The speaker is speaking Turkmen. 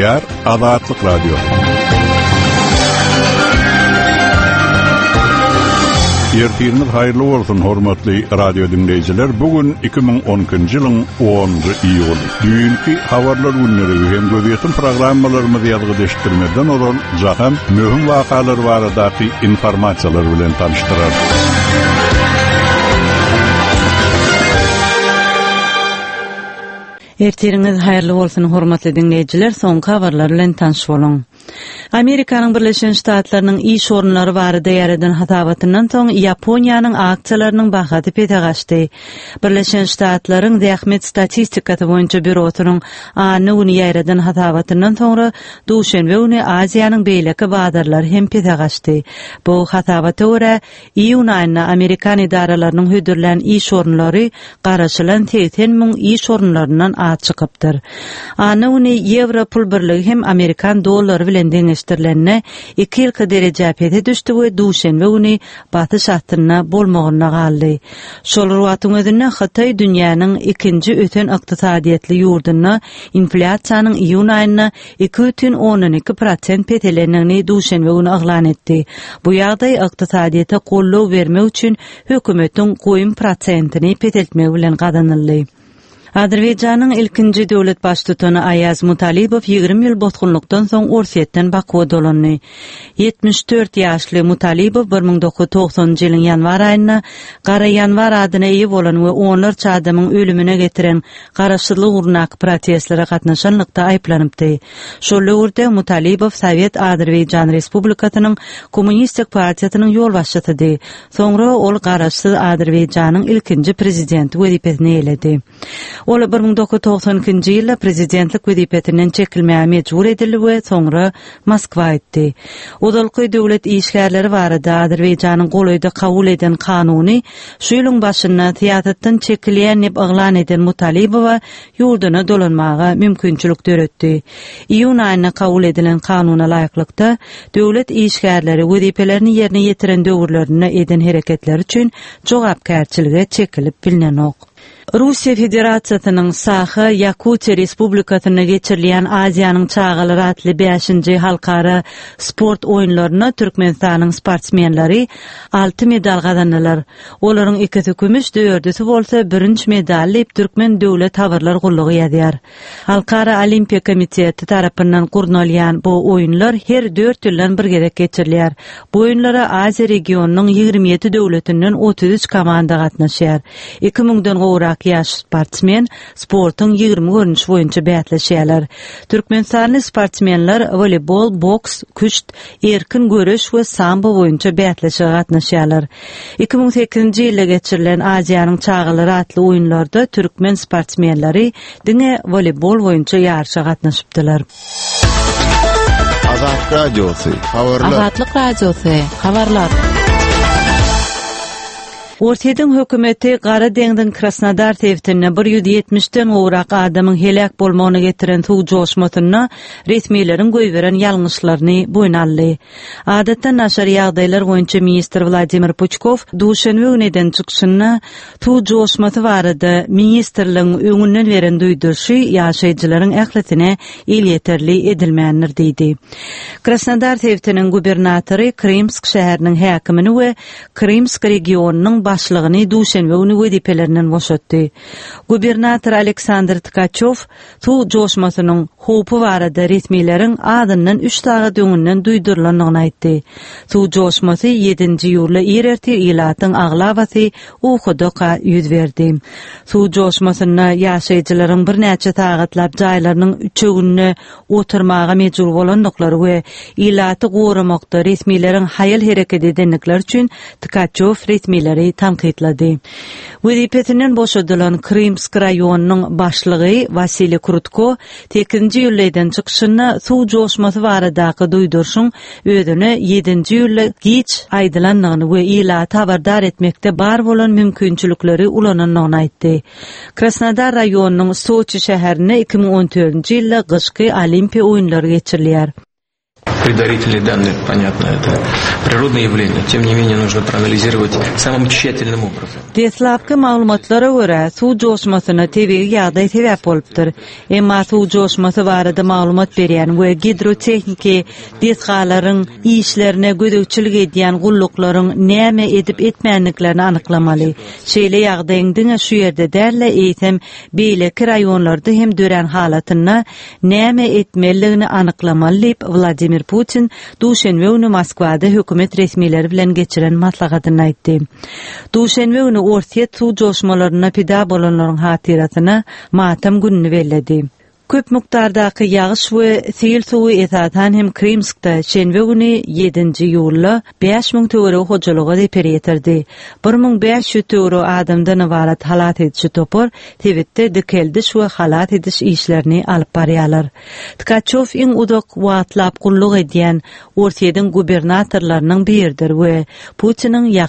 Gepleýär Azatlyk Radiosy. Ertiriňiz haýyrly bolsun, hormatly radio diňleýjiler. Bu gün 2012-nji ýylyň 10-njy iýuly. Düýnki habarlar gündeligi hem gözýetim programmalarymyzy ýazgyda eşitdirmezden ozal Jahan möhüm wakalar baradaky informasiýalar bilen tanyşdyrar. Ertiriňiz haýyrly bolsun hormatly diňleýjiler soňky habarlar bilen tanyş boluň. Amerikanyň Birleşen Ştatlarynyň iş orunlary barada ýaýradan hasabatyndan soň Ýaponiýanyň aksiýalarynyň bahasy pese gaçdy. Birleşen Ştatlaryň Zähmet statistikasy boýunça býurosynyň anna güni ýaýradan hasabatyndan soňra duşenbe güni Aziýanyň beýleki bazarlary hem pese gaçdy. Bu hasabata görä, Iýun aýynda amerikan edaralarynyň hödürlän iş orunlary garaşylan 80 müň iş orunlaryndan az çykypdyr. Anna güni ýewro pul birligi hem amerikan dollary bilen deňeşdirilende iki ýylky derejä pese düşdi we duşenbe güni basyş astynda bolmagynda galdy. Şol bir wagtyň özünde Hytaý dünýäniň ikinji ösen ykdysadyýetli ýurdunda inflýasiýanyň iýun aýynda 2,2 prosent peselendigini duşenbe güni yglan etdi. Bu ýagdaý ykdysadyýete goldaw bermek üçin hökümetiň goýum prosentini peseltmegi bilen gazanyldy. Azerbaýjanyň ilkinji döwlet baştutany Aýaz Mutalibow 20 ýyl bosgunlykdan soň Orsýetden Bakuwa dolandy. 74 ýaşly Mutalibow 1990-njy ýylyň ýanwar aýynda Gara ýanwar adyna eýe bolan we onlarça adamyň ölümine getiren garaşsyzlyk ugrundaky protestlere gatnaşanlykda aýyplanypdy. Şol döwürde Mutalibow Sowet Azerbaýjan Respublikasynyň Kommunistik partiýasynyň ýolbaşçysydy. Soňra ol garaşsyz Azerbaýjanyň ilkinji prezidenti wezipesini eýeledi. Ol 1992-nji ýylda prezidentlik wezipesinden çekilmäge mejbur edildi we soňra Moskwa gitdi. Ozalky döwlet işgärleri barada Azerbaýjanyň golaýda kabul eden kanuny Şu ýylyň başynda syýasatdan çekilýän diýip yglan eden Mutalibowa ýurduna dolanmaga mümkinçilik döretdi. Iýun aýynda kabul edilen kanuna laýyklykda, döwlet işgärleri wezipelerini ýerine ýetiren döwürlerinde eden hereketleri üçin jogapkärçilige çekilip bilnenok. Russiýa Federasiýasynyň Saha, Ýakutiýa Respublikasynda geçirilýän Aziýanyň çagalary atly bäşinji halkara sport oýunlarynda Türkmenistanyň sportsmenleri alty medal gazandylar. Olaryň ikisi kümüş, dördüsi bolsa bürünç medal diýip, Türkmen döwlet habarlar gullugy ýazýar. Halkara Olimpiýa komiteti tarapyndan gurnalýan bu oýunlar her dört ýyldan bir gezek geçirilýär. Bu oýunlara Aziýa regionynyň 27 döwletinden 33 komanda gatnaşýar. Iki müňden gowrak ýaş sportsmen sportuň 20 görnüşi boýunça bäsleşýärler. Türkmenistanly sportsmenler woleýbol, boks, küşt, erkin göreş we sambo boýunça bäsleşige gatnaşýarlar. 2008-nji ýylda geçirilen Aziýanyň çagalary atly oýunlarda türkmen sportsmenleri diňe woleýbol boýunça ýaryşa gatnaşypdylar. Azat Radiosy, habarlar. Azatlyk Radiosy, habarlar. Orsýetiň hökümeti Gara deňziň Krasnodar sebitinde 170-den gowrak adamyň heläk bolmagyna getiren suw joşmasynda resmileriň goýberen ýalňyşlaryny boýun aldy. Adatdan daşary ýagdaýlar boýunça ministr Wladimir Puçkow duşenbe güni eden çykyşynda suw joşmasy barada ministrligiň öňünden beren duýduryşy ýaşaýjylaryň ählisine elýeterli edilmändir diýdi. Krasnodar sebitiniň gubernatory Krymsk şäheriniň häkimini we Krymsk regionynyň başlygyny duşenbe güni wezipelerinden boşatdy. Gubernator Aleksandr Tkaçew suw joşmasynyň howpy barada resmileriň azyndan üç sagat öňünden duýdurylandygyny aýtdy. Suw joşmasy ýedinji iýulda ir ertir ilatyň aglabasy ukudaka ýüz berdi. Suw joşmasynda ýaşaýjylaryň birnäçe sagatlap jaýlarynyň üçeginde oturmaga mejbur bolandyklary we ilaty goramakda resmileriň haýal hereket edendikleri üçin Tkaçew resmileri tankytlady. Wezipesinden boşadylan Krymsk raýonynyň başlygy Wasiliý Krutko sekizinji iýulda eden çykyşynda suw joşmasy baradaky duýduryşyň özüne ýedinji iýulda giç aýdylandygyny we ilaty habardar etmekde bar bolan mümkinçilikleri ulanandygyny aýtdy. Krasnodar raýonynyň Soçi şäherinde 2014-nji ýylda gyşky Olimpiýa oýunlary geçirilýär. Предварительные данные, понятно, это природное явление. Тем не менее, нужно проанализировать самым тщательным образом. Deslapky maglumatlara görä, suw joşmasyna tebigy ýagdaý sebäp bolupdyr. Emma suw joşmasy barada maglumat berýän we gidrotehniki desgalaryň işlerine gözegçilik edýän gulluklaryň näme edip-etmändiklerini anyklamaly. Şeýle ýagdaýyň diňe şu ýerde däl-de, eýsem, beýleki raýonlarda hem dörän halatynda näme etmelidigini anyklamaly diýip, Wladimir Putin duşenbe güni Moskwada hökümet resmileri bilen geçiren maslahatynda aýtdy. Duşenbe güni Orsýet suw joşmalarynda pida bolanlaryň hatyrasyna matam gününi belledi. Köp mukdardaky ýagyş we sil suwy esasan hem Krymskda şenbe güni, ýedinji iýulda, 5000 töweregi hojalyga zeper ýetirdi. 1500 töweregi adamdan ybarat halas ediji topar sebitde dikeldiş we halas ediş işlerini alyp barýarlar. Tkaçýow iň uzak wagtlap gulluk edýän Orsýetiň gubernatorlarynyň biridir we Putiniň ýakyn.